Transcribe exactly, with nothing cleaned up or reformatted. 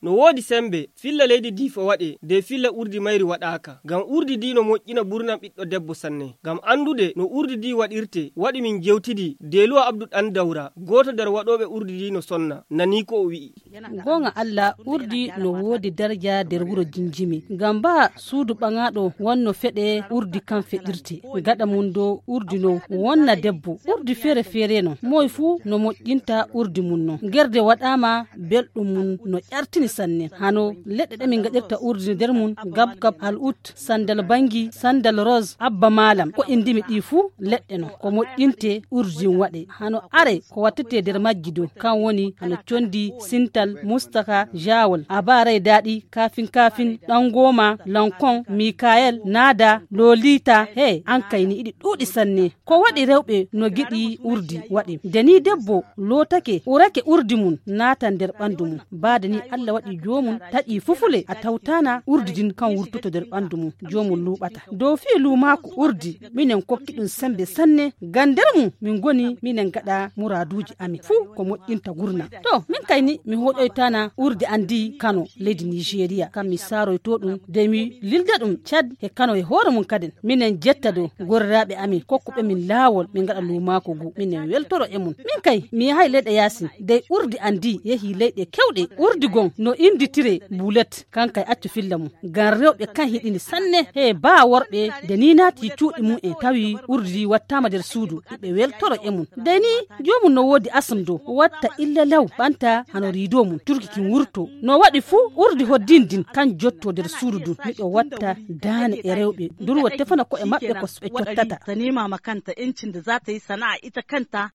no woodi sembe filla leydi diifo waɗe de filla urdi mayri waɗaka ngam urdi di no moƴƴina ɓurnan ɓiɗɗo debbo sanne ngam andude no urdi di waɗirte waɗi min jewtidi Deluwa Abdou ɗan Dawra goto nder waɗoɓe urdi di no sonna nani ko o wi'i gonga Allah urdi no woodi daraja nder wuro jinjimi ngam ba suudu ɓangaɗo wonno feɗe urdi kan feɗirte gaɗa mum do urdi no wonna debbo urdi fere fere no moy fu no moƴƴinta urdi mum no gerde waɗama belɗum mum no ƴartini sanne hano leɗɗe ɗe min gaɗirta urdi nder mum gab gab al'ut sandal bangi sandal rose abba malam ko indimi ɗi fu leɗɗe no ko moƴƴinte urdi waɗe hano are ko wattete nder majji do kan woni hano condi sintal mustaka jawol abarai daɗi kafin kafin ɗan goma lankon mikael nada lolita he an kayni iɗi ɗuɗi sanne ko waɗi rewɓe no giɗi urdi waɗi deni debbo lotake urake urdi mum nata nder ɓandu mum bada ni Allah waɗi jomum taƴi fufule a tawtana urdi din kan wurtoto nder ɓandu mum jomum luɓata dow fi lumako urdi minen kokki ɗum sembe sanne gan nder mum min goni minen gaɗa muraduji amin fu ko moƴƴinta gurna to min kayni mi hoɗoytana urdi andi Kano leydi Nigeria kam mi saroyto ɗum de mi lilda ɗum Chad e Kano e hoore mum kaden minen jetta do gorraɓe amin kokkuɓe min laawol min gaɗa lumako gu minen weltoro e mum min kay mi yahay leyɗe yasin dey urdi andi yehi leyɗe kewɗe urdi gon no inditire bulet kankay accu filla mum gan rewɓe kan hiɗini sanne he ba worɓe de ni naati cuuɗi mum en tawi urdi wattama nder suudu ɓe weltoro e mum de ni jomum no woodi asam do watta illa law ɓanta hano rido mum turki kin wurto no waɗi fu urdi hoddindin kan jotto nder suudu dun miɗo watta dane e rewɓe durwa tefana ko e maɓɓe ko ɓe cottata ta nema ma kanta incin da za ta yi sana'a ita kanta